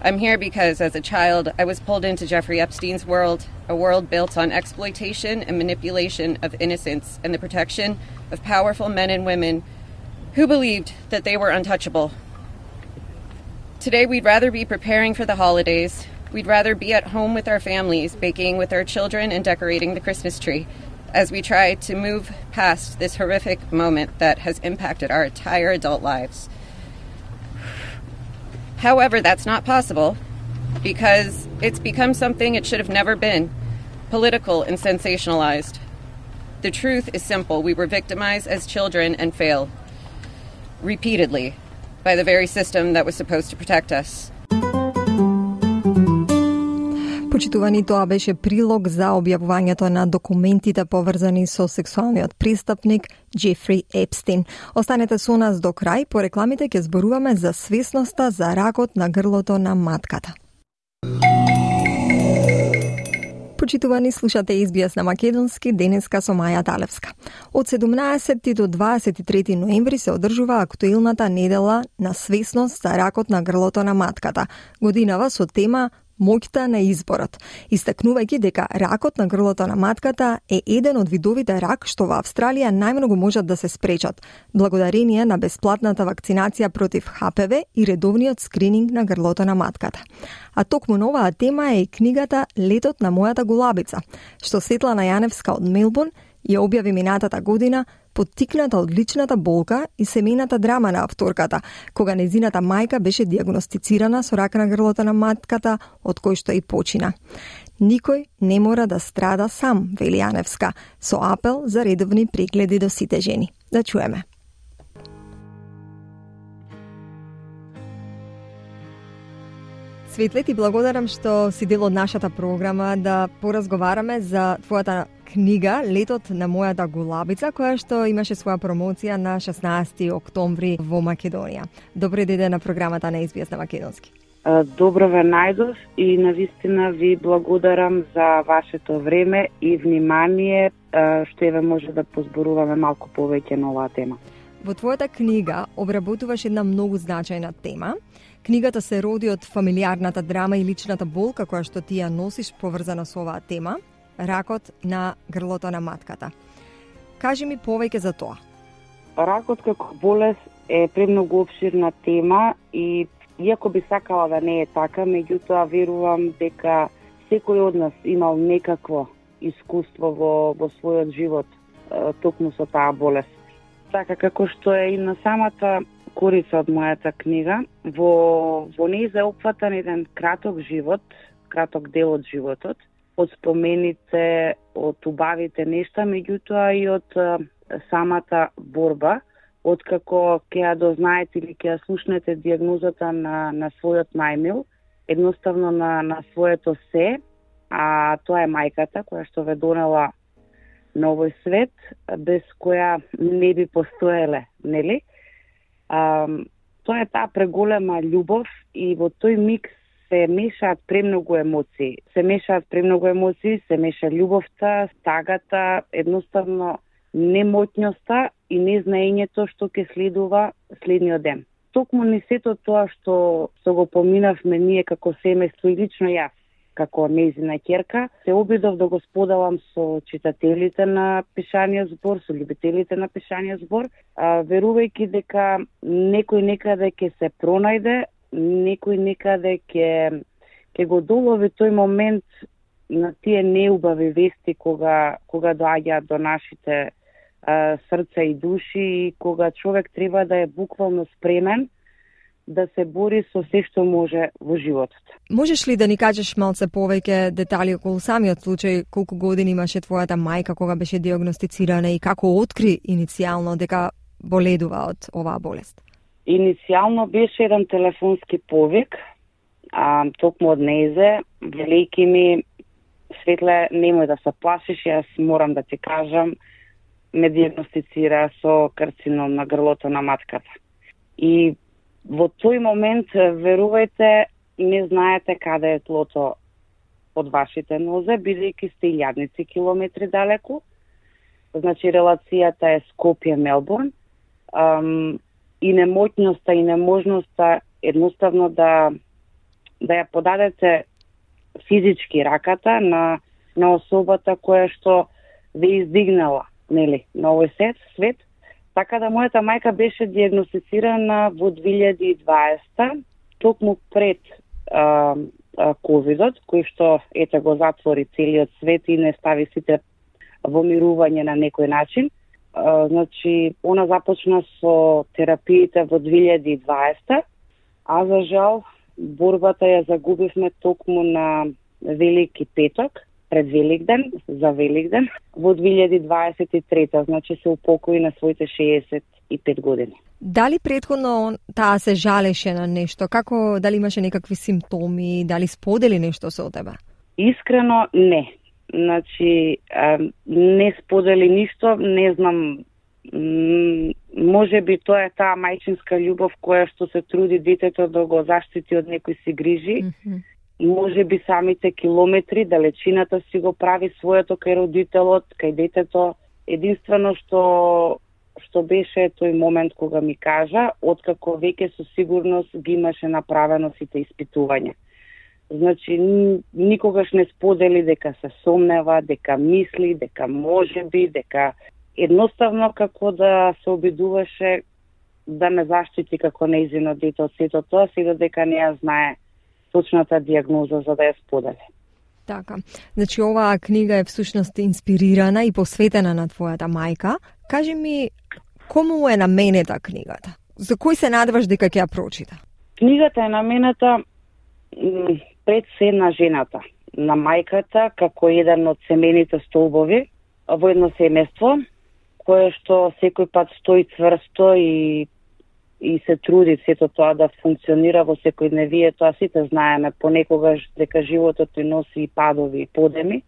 I'm here because as a child I was pulled into Jeffrey Epstein's world, a world built on exploitation and manipulation of innocence and the protection of powerful men and women who believed that they were untouchable. Today we'd rather be preparing for the holidays. We'd rather be at home with our families, baking with our children and decorating the Christmas tree as we try to move past this horrific moment that has impacted our entire adult lives. However, that's not possible because it's become something it should have never been, political and sensationalized. The truth is simple. We were victimized as children and failed repeatedly by the very system that was supposed to protect us. Почитувани, тоа беше прилог за објавувањето на документите поврзани со сексуалниот престапник Джефри Епстин. Останете со нас до крај, по рекламите ќе зборуваме за свесноста за ракот на грлото на матката. Почитувани, слушате SBS на македонски, денеска со Маја Далевска. Од 17 до 23 ноември се одржува актуелната недела на свесност за ракот на грлото на матката, годинава со тема моќта на изборот, истакнувајќи дека ракот на грлото на матката е еден од видовите рак што во Австралија најмногу можат да се спречат, благодарение на бесплатната вакцинација против ХПВ и редовниот скрининг на грлото на матката. А токму на оваа тема е и книгата Летот на мојата голабица, што Светлана Јаневска од Мелбурн ја објави минатата година, поттикната од личната болка и семејната драма на авторката, кога незината мајка беше диагностицирана со рак на грлото на матката, од кој што и почина. Никој не мора да страда сам, вели Јаневска, со апел за редовни прегледи до сите жени. Да чуеме. Светле, ти благодарам што си дел од нашата програма да поразговараме за твојата книга Летот на мојата голабица, која што имаше своја промоција на 16 октомври во Македонија. Добре дојде на програмата на SBS на македонски. Добро ве најдов и навистина ви благодарам за вашето време и внимание, што еве може да позборуваме малку повеќе на оваа тема. Во твојата книга обработуваш една многу значајна тема. Книгата се роди од фамилиарната драма и личната болка која што ти ја носиш поврзана со оваа тема, ракот на грлото на матката. Кажи ми повеќе за тоа. Ракот како болест е премногу обширна тема и иако би сакала да не е така, меѓутоа верувам дека секој од нас имал некакво искуство во својот живот токму со таа болест. Така како што е и на самата корица од мојата книга, во неј е опфатан еден краток живот, краток дел од животот, од спомените, од убавите нешта, меѓутоа и од самата борба, откако ќе ја дознаете или ќе ја слушнете диагнозата на својот најмил, едноставно на своето се, а тоа е мајката која што ве донела на овој свет, без која не би постоеле, нели? Тоа е таа преголема љубов и во тој миг се мешаат премногу емоции. Се меша љубовта, стагата, едноставно немоќноста и незнаењето што ќе следува следниот ден. Токму не сето тоа што го поминавме ние како семејство и лично јас, како нејзина ќерка, се обидов да го споделам со читателите на пишаниот збор, со љубителите на пишаниот збор, верувајќи дека некој некаде ќе се пронајде, некој некаде ќе го долови тој момент на тие неубави вести кога доаѓаат до нашите срца и души и кога човек треба да е буквално спремен да се бори со се што може во животот. Можеш ли да ни кажеш малце повеќе детали околу самиот случај, колку години имаше твојата мајка кога беше диагностицирана и како откри иницијално дека боледува од оваа болест? Иницијално беше еден телефонски повик, токму од нејзе, велејќи ми, Светле, немој да се плашиш, јас морам да ти кажам, ме диагностицира со карцином на грлото на матката. И во тој момент, верувајте, не знаете каде е тлото од вашите нозе, бидејќи сте илјадници километри далеку. Значи, релацијата е Скопје-Мелбурн и немоќноста и неможноста едноставно да ја подадете физички раката на особата која што ве издигнала, нели, на овој свет. Така да мојата мајка беше диагностицирана во 2020, токму пред ковидот, кој што ете го затвори целиот свет и не стави сите во мирување на некој начин. Значи, она започна со терапиите во 2020, а за жал борбата ја загубивме токму на Велики петок, пред Великден, за Великден, во 2023, значи се упокои на своите 65 години. Дали претходно таа се жалеше на нешто? Како, дали имаше некакви симптоми, дали сподели нешто со тебе? Искрено не. Значи, не сподели ништо, не знам, може би тоа е таа мајчинска љубов која што се труди детето да го заштити од некои си грижи. Може би самите километри, далечината си го прави своето кај родителот, кај детето. Единствено што беше тој момент кога ми кажа, откако веќе со сигурност ги имаше направено сите испитувања. Значи, никогаш не сподели дека се сомнева, дека мисли, дека може би, дека едноставно како да се обидуваше да ме заштити како нејзино дете од сето тоа, сега дека не ја знае точната диагноза за да ја сподели. Така. Значи, оваа книга е всушност инспирирана и посветена на твојата мајка. Кажи ми, кому е наменета книгата? За кој се надеваш дека ќе ја прочита? Книгата е наменета пред се на жената, на мајката, како еден од семејните столбови во едно семејство, кое што секој пат стои цврсто и се труди сето тоа да функционира во секојдневие. Тоа сите знаеме понекогаш дека животот ни носи и падови и подеми.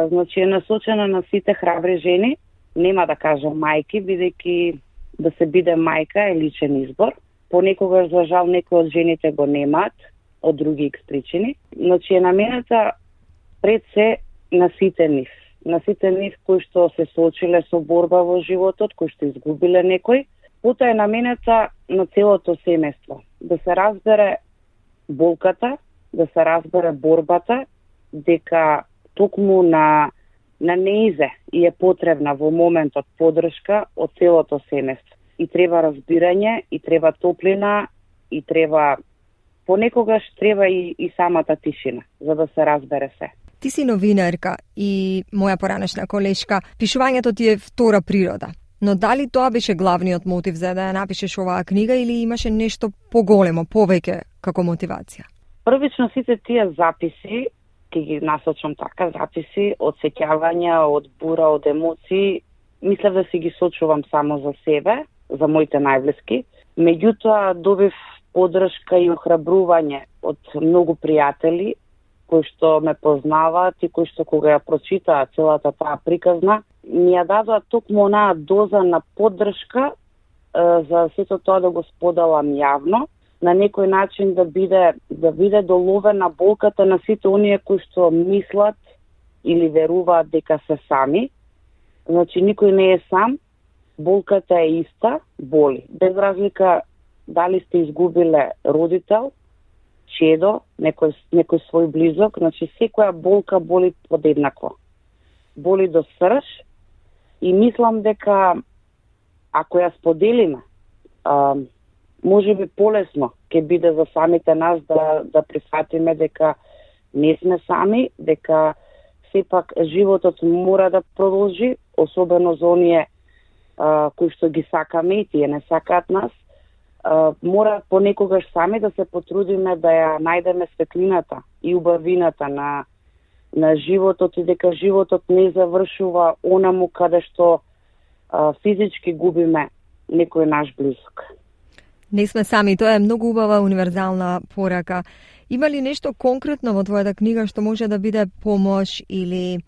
Значи е насочена на сите храбри жени, нема да кажам мајки, бидејќи да се биде мајка е личен избор. Понекогаш, за жал, некои од жените го немаат, од други икс причини. Значи е намената пред се на сите нив. На сите нив кои што се соочиле со борба во животот, кои што изгубиле некој. Потоа е намената на целото семејство. Да се разбере болката, да се разбере борбата, дека токму на неизе и е потребна во моментот поддршка од целото семејство. И треба разбирање, и треба топлина, и треба понекогаш треба и самата тишина, за да се разбере се. Ти си новинарка и моја поранешна колешка. Пишувањето ти е втора природа. Но дали тоа беше главниот мотив за да ја напишеш оваа книга или имаше нешто поголемо, повеќе како мотивација? Првично сите тие записи, ќе ги насочам така, записи од сеќавања, од бура, од емоции, мислев да си ги сочувам само за себе, за моите најблиски. Меѓутоа добив поддршка и охрабрување од многу пријатели кои што ме познаваат и кои што кога ја прочитаат целата таа приказна, ми ја дадоа токму онаа доза на поддршка за сето тоа да го споделам јавно, на некој начин да биде доловена болката на сите оние кои што мислат или веруваат дека се сами. Значи никој не е сам, болката е иста, боли. Без разлика дали сте изгубиле родител, чедо, некој свој близок, значи секоја болка боли подеднакво. Боли до срж и мислам дека ако ја споделиме, може би полесно ќе биде за самите нас да прифатиме дека не сме сами, дека сепак животот мора да продолжи, особено за оние кои што ги сакаме и тие не сакаат нас. Мора понекогаш сами да се потрудиме да ја најдеме светлината и убавината на животот и дека животот не завршува онаму каде што физички губиме некој наш близок. Не сме сами, тоа е многу убава универзална порака. Има ли нешто конкретно во твојата книга што може да биде помош или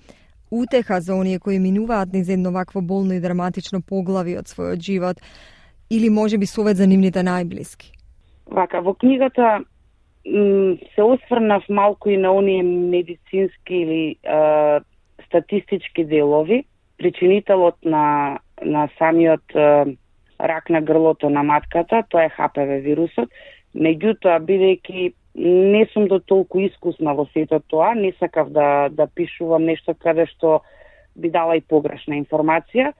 утеха за оние кои минуваат низ едно вакво болно и драматично поглави од својот живот, или може би совет за нивните најблиски? Вака, во книгата се осврнав малку и на оние медицински или статистички делови. Причинителот на самиот рак на грлото на матката, тоа е HPV вирусот. Меѓутоа, бидејќи не сум до толку искусна во сето тоа, не сакав да пишувам нешто каде што би дала и погрешна информација.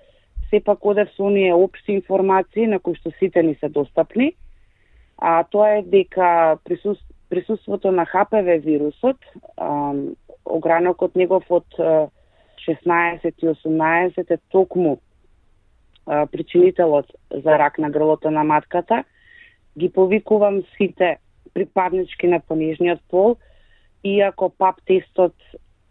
Сепак одев со оние општи информации на кои што сите ни се достапни. А тоа е дека присуството на HPV вирусот, огранокот негов од 16 и 18 е токму причинителот за рак на грлото на матката. Ги повикувам сите припаднички на понижниот пол, иако ПАП тестот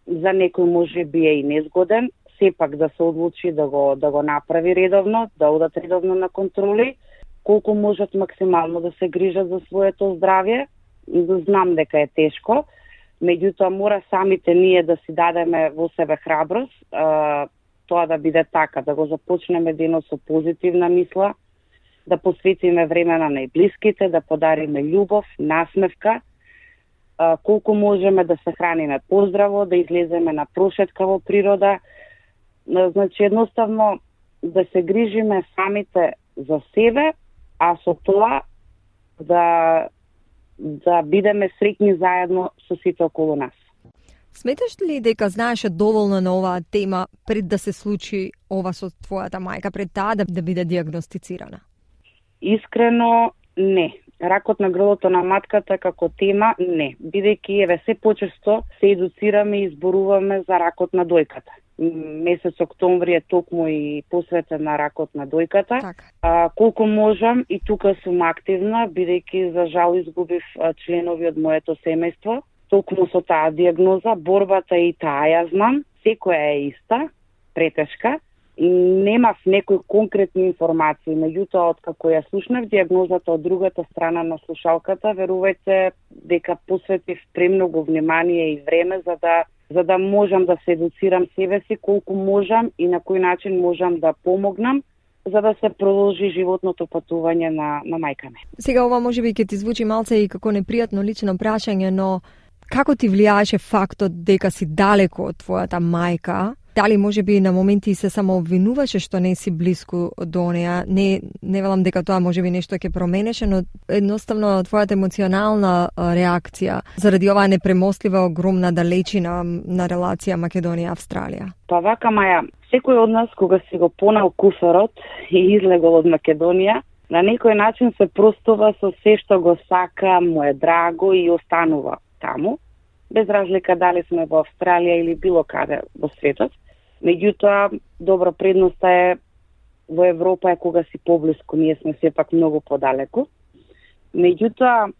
за некој може би е и незгоден, сепак да се одлучи да го направи редовно, да одат редовно на контроли, колку можат максимално да се грижат за своето здравје. Знам дека е тешко, меѓутоа мора самите ние да си дадеме во себе храброст, тоа да биде така, да го започнеме денот со позитивна мисла, да посветиме време на најблиските, да подариме љубов, насмевка, колку можеме да се храниме поздраво, да излеземе на прошетка во природа. Значи, едноставно да се грижиме самите за себе, а со тоа да бидеме среќни заедно со сите околу нас. Сметаш ли дека знаеше доволно на оваа тема пред да се случи ова со твојата мајка, пред таа да биде диагностицирана? Искрено, не. Ракот на грлото на матката како тема, не. Бидејќи еве се почесто се едуцираме и зборуваме за ракот на дојката. Месец октомври е токму и посветен на ракот на дојката. Колку можам и тука сум активна, бидејќи за жал изгубив членови од моето семејство. Токму со таа диагноза, борбата и таа ја знам, секоја е иста, претешка. Немав некои конкретни информации, меѓутоа откако ја слушнав диагнозата од другата страна на слушалката, верувајте дека посветив премногу внимание и време за да можам да се едуцирам себе си колку можам и на кој начин можам да помогнам за да се продолжи животното патување на мајка ми. Сега ова можеби ќе ти звучи малце и како непријатно лично прашање, но како ти влијаеше фактот дека си далеко од твојата мајка? Дали може би на моменти се само обвинуваше што не си близко до неа? Не велам дека тоа може би нешто ќе променеше, но едноставно твојата емоционална реакција заради оваа непремостлива огромна далечина на релација Македонија-Австралија. Па вака, Маја, секој од нас кога си го понал куферот и излегол од Македонија, на некој начин се простува со се што го сака, му е драго и останува таму, без разлика дали сме во Австралија или било каде во светот. Меѓутоа, добро, предноста е во Европа е кога си поблиску, ние сме сепак многу подалеку. Меѓутоа,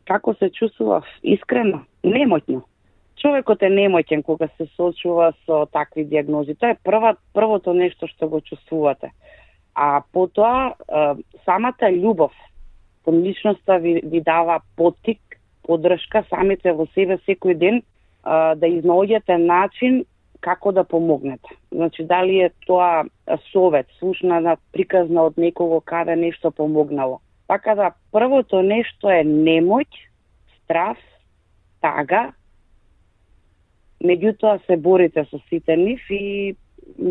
како се чувствував? Искрено, немотно. Човекот е немотен кога се соочува со такви диагнози. Тоа е првото нешто што го чувствувате. А потоа, самата љубов кон личноста ви дава поттик, поддршка самите во себе секој ден да изнаоѓате начин како да помогнете. Значи, дали е тоа совет, слушна приказна од некого каде нешто помогнало. Така да, првото нешто е немоќ, страв, тага, меѓутоа се борите со сите нив и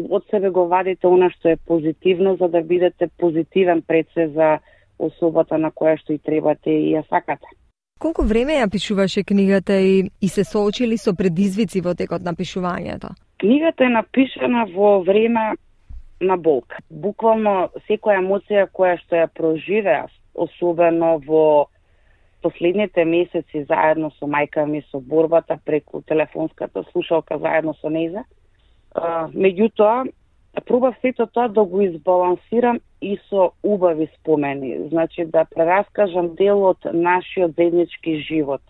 од себе го вадите она што е позитивно, за да бидете позитивен пред се за особата на која што и требате и ја сакате. Колку време ја пишуваше книгата и се соочили со предизвици во текот на пишувањето? Книгата е напишана во време на болка. Буквално секоја емоција која што ја проживеав, особено во последните месеци заедно со мајка ми, со борбата преку телефонската слушалка заедно со нејза. Меѓутоа, пробав сето тоа да го избалансирам и со убави спомени. Значи, да прераскажам дел од нашиот заеднички живот.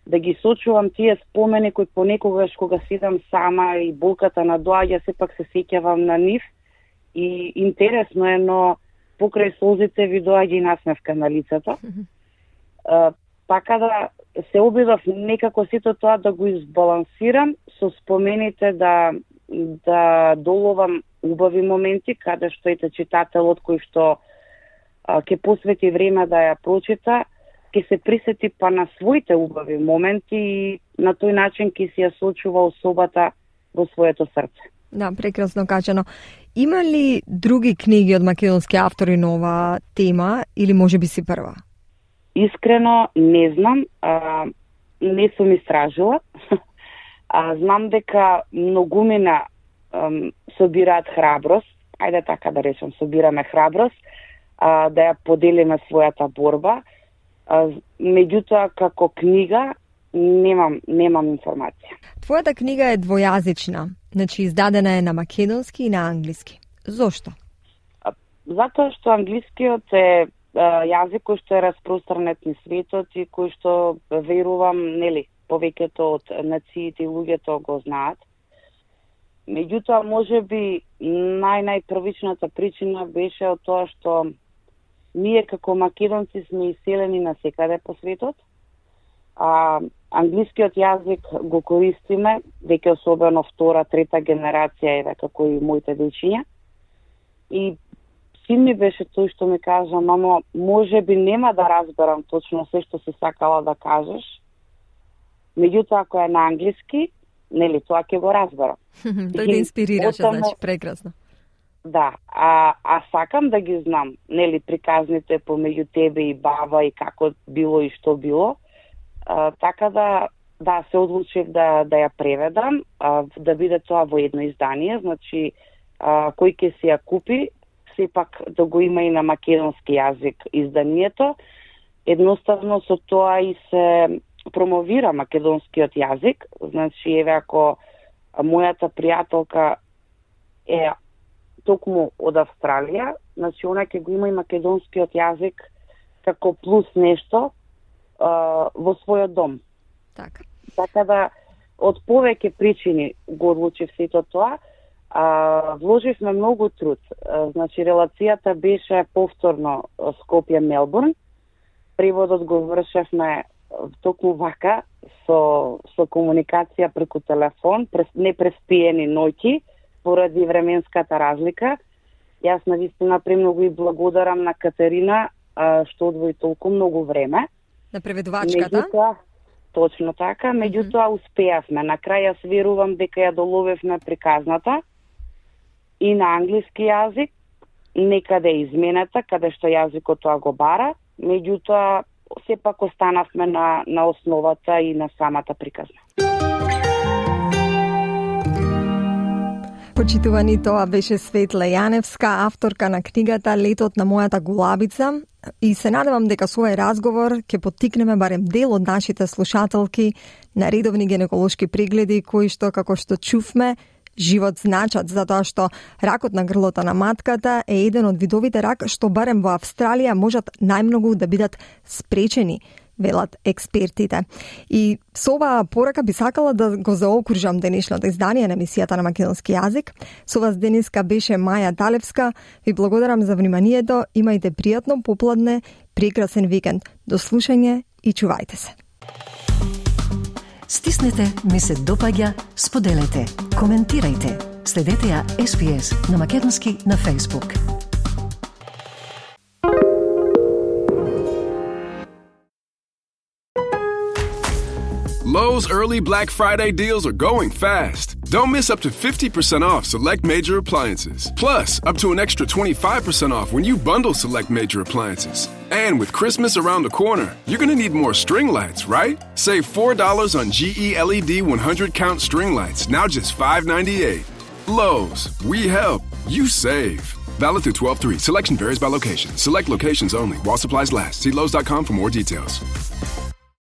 Да ги сочувам тие спомени кои понекогаш кога седам сама и болката надоаѓа, сепак се сеќавам на нив. И интересно е, но покрај солзите ви доаѓа и насмевка на лицето. Така да се обидов некако сето тоа да го избалансирам со спомените да доловам убави моменти, каде што ете читателот кој што ќе посвети време да ја прочита, ќе се присети па на своите убави моменти и на тој начин ќе си ја сочува особата во своето срце. Да, прекрасно кажано. Има ли други книги од македонски автори на оваа тема или може би си прва? Искрено не знам, не сум истражила. Знам дека многумина собираат храброст, ајде така да речем, собираме храброст, да ја поделиме својата борба. Меѓутоа, како книга, немам информација. Твојата книга е двојазична, значи издадена е на македонски и на англиски. Зошто? Затоа што англискиот е јазик кој што е распространет низ светот и кој што верувам, повеќето од нациите и луѓето го знаат. Меѓутоа, можеби најпрвичната причина беше од тоа што ние како македонци сме иселени насекаде по светот, а англискиот јазик го користиме, дека особено втора, трета генерација е како и моите дечиња. И син ми беше тој што ми кажа, мамо, можеби нема да разберам точно се што си сакала да кажеш, меѓутоа ако е на англиски, тоа ќе го разберам. Тој те инспирираше, значи, прекрасно. Да, а сакам да ги знам, приказните помеѓу тебе и баба и како било и што било, така да се одлучив да ја преведам, да биде тоа во едно издание, значи кој ќе си ја купи, сепак да го има и на македонски јазик изданието. Едноставно со тоа и се промовира македонскиот јазик, значи еве ако мојата пријателка е токму од Австралија, значи она ќе го има и македонскиот јазик како плюс нешто во својот дом. Така да од повеќе причини го одлучив сето тоа. Вложивме многу труд. Значи релацијата беше повторно Скопје-Мелбурн. Преводот го вршевме токму вака со комуникација преку телефон, непреспиени ноќи поради временската разлика. Јас навистина премногу и благодарам на Катерина што одвои толку многу време. На преведувачката? Точно така, меѓутоа успеавме. На крај јас верувам дека ја доловевме приказната и на англиски јазик, некаде изменета, каде што јазикот тоа го бара, меѓутоа сепак останавме на основата и на самата приказна. Почитувани, тоа беше Светла Јаневска, авторка на книгата Летот на мојата гулабица, и се надевам дека со овој разговор ќе поттикнеме барем дел од нашите слушателки на редовни гинеколошки прегледи кои што, како што чувме, живот значат, затоа што ракот на грлото на матката е еден од видовите рак што барем во Австралија можат најмногу да бидат спречени, велат експертите. И со оваа порака би сакала да го заокружам денешното издание на емисијата на македонски јазик. Со вас денеска беше Маја Талевска. Ви благодарам за вниманието. Имајте пријатно попладне, прекрасен викенд. До слушање и чувајте се. Стиснете ми се допаѓа, споделете, коментирајте. Следете ја SPS на македонски на Facebook. Lowe's early Black Friday deals are going fast. Don't miss up to 50% off select major appliances. Plus, up to an extra 25% off when you bundle select major appliances. And with Christmas around the corner, you're going to need more string lights, right? Save $4 on GE LED 100-count string lights, now just $5.98. Lowe's, we help, you save. Valid through 12/3. Selection varies by location. Select locations only. While supplies last. See Lowe's.com for more details.